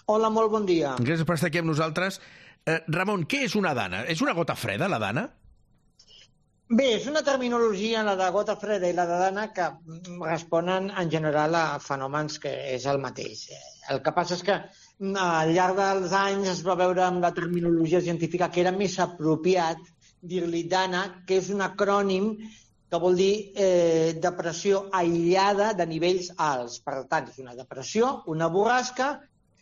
Hola, molt bon dia. Gràcies per estar aquí amb nosaltres. Ramon, què és una dana? És una gota freda, la dana? Bé, és una terminologia, la de gota freda i la de dana, que responen en general a fenòmens que és el mateix. El que passa és que al llarg dels anys es va veure amb la terminologia científica que era més apropiat dir-li dana, que és un acrònim que vol dir depressió aïllada de nivells alts. Per tant, és una depressió, una borrasca,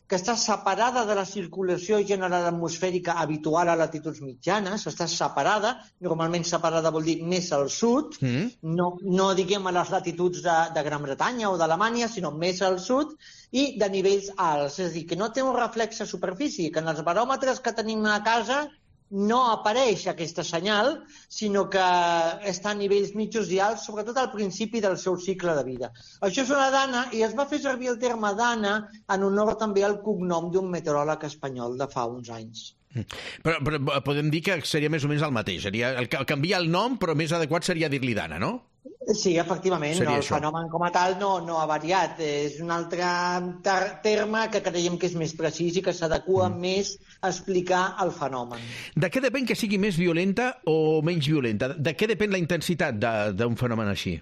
que està separada de la circulació general atmosfèrica habitual a latituds mitjanes, està separada, normalment separada vol dir més al sud, no diguem a les latituds de Gran Bretanya o d'Alemanya, sinó més al sud, i de nivells alts. És a dir, que no té un reflex a superfície, que en els baròmetres que tenim a casa no apareix aquesta senyal, sinó que està a nivells mitjos i alts, sobretot al principi del seu cicle de vida. Això és una dana, i es va fer servir el terme dana en honor també al cognom d'un meteoròleg espanyol de fa uns anys. Però podem dir que seria més o menys el mateix. Canviar el nom, però més adequat seria dir-li dana, no? Sí, efectivament, el fenomen com a tal no ha variat. És un altre terme que creiem que és més precís i que s'adequa més a explicar el fenomen. De què depèn que sigui més violenta o menys violenta? De què depèn la intensitat d'un fenomen així?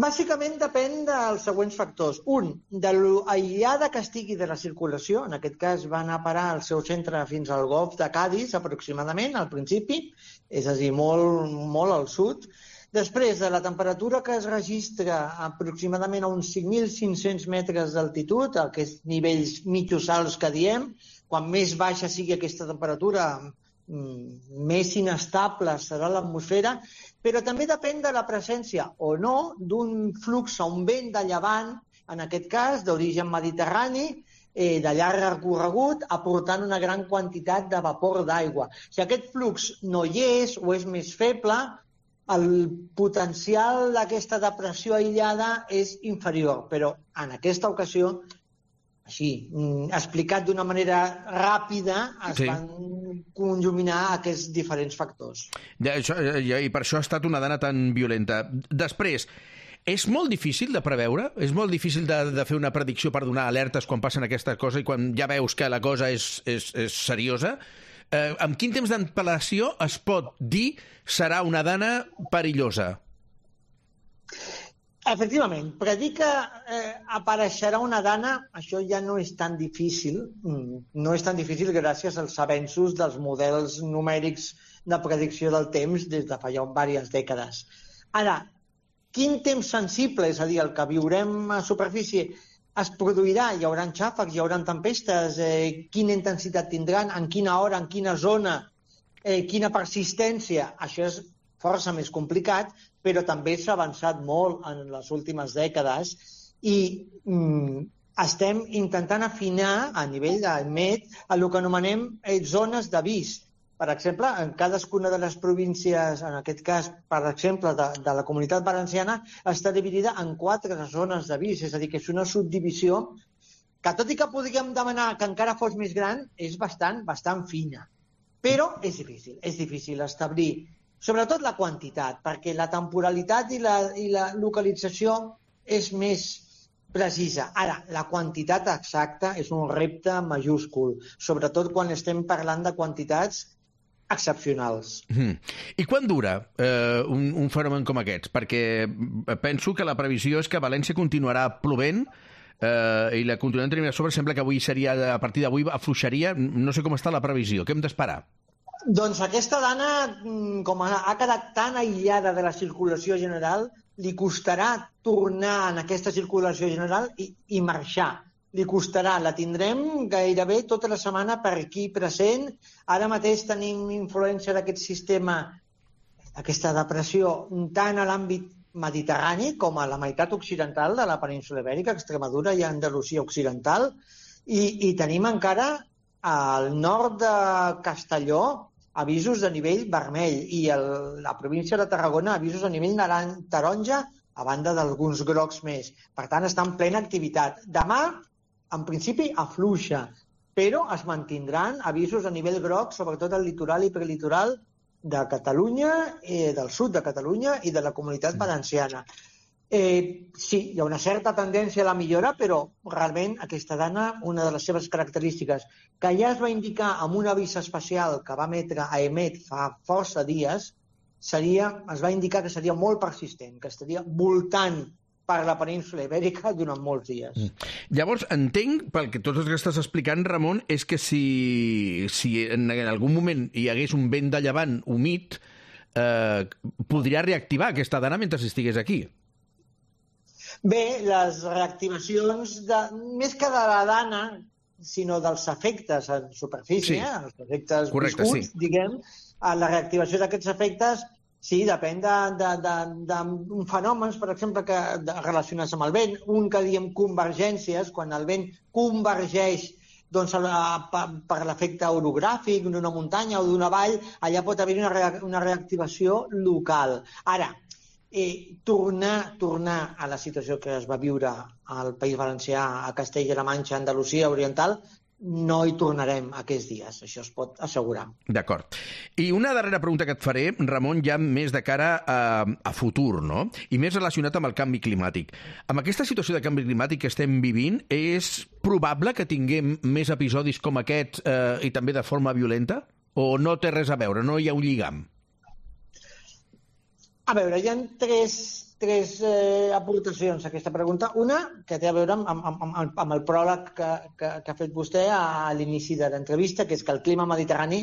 Bàsicament depèn dels següents factors. Un, de l'aïllada que estigui de la circulació, en aquest cas va anar a parar al seu centre fins al golf de Cádiz, aproximadament, al principi, és a dir, molt al sud. Després, de la temperatura que es registra aproximadament a uns 5.500 metres d'altitud, aquests nivells mitjos alts que diem, quan més baixa sigui aquesta temperatura, més inestable serà l'atmosfera, però també depèn de la presència o no d'un flux o un vent de llevant, en aquest cas d'origen mediterrani, de llarg recorregut, aportant una gran quantitat de vapor d'aigua. Si aquest flux no hi és o és més feble, el potencial d'aquesta depressió aïllada és inferior, però en aquesta ocasió, així, explicat d'una manera ràpida, es van conjuminar aquests diferents factors. I per això ha estat una dana tan violenta. Després, és molt difícil de preveure? És molt difícil de fer una predicció per donar alertes quan passen aquestes coses i quan ja veus que la cosa és seriosa? Amb quin temps d'antelació es pot dir serà una dana perillosa? Efectivament, predir que apareixerà una dana, això ja no és tan difícil. No és tan difícil gràcies als avenços dels models numèrics de predicció del temps des de fa ja diverses dècades. Ara, quin temps sensible, és a dir, el que viurem a superfície, es produirà? Hi haurà xàfecs, hi haurà tempestes, quina intensitat tindran, en quina hora, en quina zona, quina persistència. Això és força més complicat, però també s'ha avançat molt en les últimes dècades i estem intentant afinar a nivell del MET el que anomenem zones d'avís. Per exemple, en cadascuna de les províncies, en aquest cas, per exemple, de la Comunitat Valenciana, està dividida en 4 zones d'avís, és a dir, que és una subdivisió que, tot i que podríem demanar que encara fos més gran, és bastant fina. Però és difícil establir, sobretot la quantitat, perquè la temporalitat i la localització és més precisa. Ara, la quantitat exacta és un repte majúscul, sobretot quan estem parlant de quantitats excepcionals. I quan dura un fenomen com aquests? Perquè penso que la previsió és que València continuarà plovent i la continuarem tenint a sobre. Sembla que avui seria, a partir d'avui afluixaria. No sé com està la previsió. Què hem d'esperar? Doncs aquesta dana, com ha quedat tan aïllada de la circulació general, li costarà tornar en aquesta circulació general i marxar. Li costarà, la tindrem gairebé tota la setmana per aquí present. Ara mateix tenim influència d'aquest sistema, aquesta depressió, tant a l'àmbit mediterrani com a la meitat occidental de la península Ibèrica, Extremadura i Andalusia occidental, i tenim encara al nord de Castelló avisos de nivell vermell i la província de Tarragona avisos a nivell taronja, a banda d'alguns grocs més. Per tant, està en plena activitat. Demà, en principi, afluixa, però es mantindran avisos a nivell groc, sobretot al litoral i prelitoral de Catalunya, del sud de Catalunya i de la Comunitat Valenciana. Sí, hi ha una certa tendència a la millora, però realment aquesta dana, una de les seves característiques, que ja es va indicar amb un avís especial que va emetre AEMET fa força dies, es va indicar que seria molt persistent, que estaria voltant per la península Ibèrica durant molts dies. Llavors, entenc, pel que tot el que estàs explicant, Ramon, és que si en algun moment hi hagués un vent de llevant humit, podria reactivar aquesta dana mentre estigués aquí. Bé, les reactivacions, més que de la dana, sinó dels efectes en superfície, els efectes viscuts, diguem, la reactivació d'aquests efectes, sí, depèn d'un fenòmens, per exemple, relacionats amb el vent. Un que diem convergències, quan el vent convergeix per l'efecte orogràfic d'una muntanya o d'una vall, allà pot haver una reactivació local. Ara, tornar a la situació que es va viure al País Valencià, a Castella-La Manxa, a Andalusia Oriental, no hi tornarem aquests dies, això es pot assegurar. D'acord. I una darrera pregunta que et faré, Ramon, ja més de cara a futur, no? I més relacionat amb el canvi climàtic. Amb aquesta situació de canvi climàtic que estem vivint, és probable que tinguem més episodis com aquest i també de forma violenta? O no té res a veure, no hi ha un lligam? A veure, hi ha tres aportacions a aquesta pregunta. Una, que té a veure amb el pròleg que ha fet vostè a l'inici de l'entrevista, que és que el clima mediterrani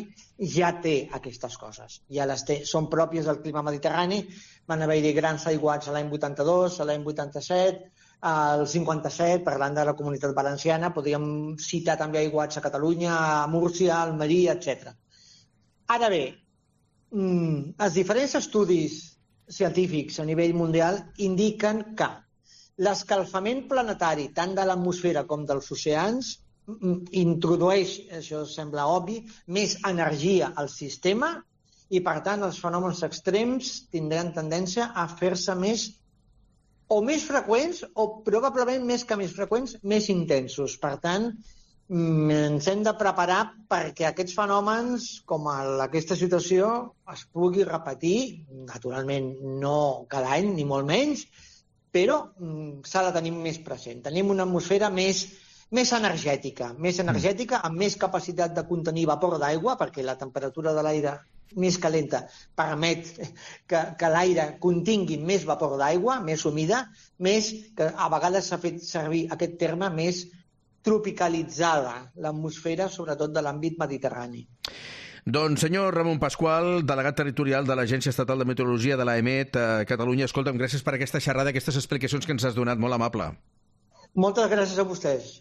ja té aquestes coses. Ja les té, són pròpies del clima mediterrani. Van haver-hi grans aiguats a l'any 82, a l'any 87, al 57, parlant de la Comunitat Valenciana. Podríem citar també aiguats a Catalunya, a Múrcia, a Almeria, etc. Ara bé, els diferents estudis científics a nivell mundial indiquen que l'escalfament planetari, tant de l'atmosfera com dels oceans, introdueix, això sembla obvi, més energia al sistema i, per tant, els fenòmens extrems tindran tendència a fer-se més freqüents o probablement més que més freqüents, més intensos. Per tant, ens hem de preparar perquè aquests fenòmens, com aquesta situació, es pugui repetir, naturalment no cada any, ni molt menys, però s'ha de tenir més present. Tenim una atmosfera més energètica, amb més capacitat de contenir vapor d'aigua, perquè la temperatura de l'aire més calenta permet que l'aire contingui més vapor d'aigua, més humida, més que a vegades s'ha fet servir aquest terme més tropicalitzada, l'atmosfera, sobretot de l'àmbit mediterrani. Doncs, senyor Ramon Pasqual, delegat territorial de l'Agència Estatal de Meteorologia de l'AEMET a Catalunya, escolta'm, gràcies per aquesta xerrada, aquestes explicacions que ens has donat, molt amable. Moltes gràcies a vostès.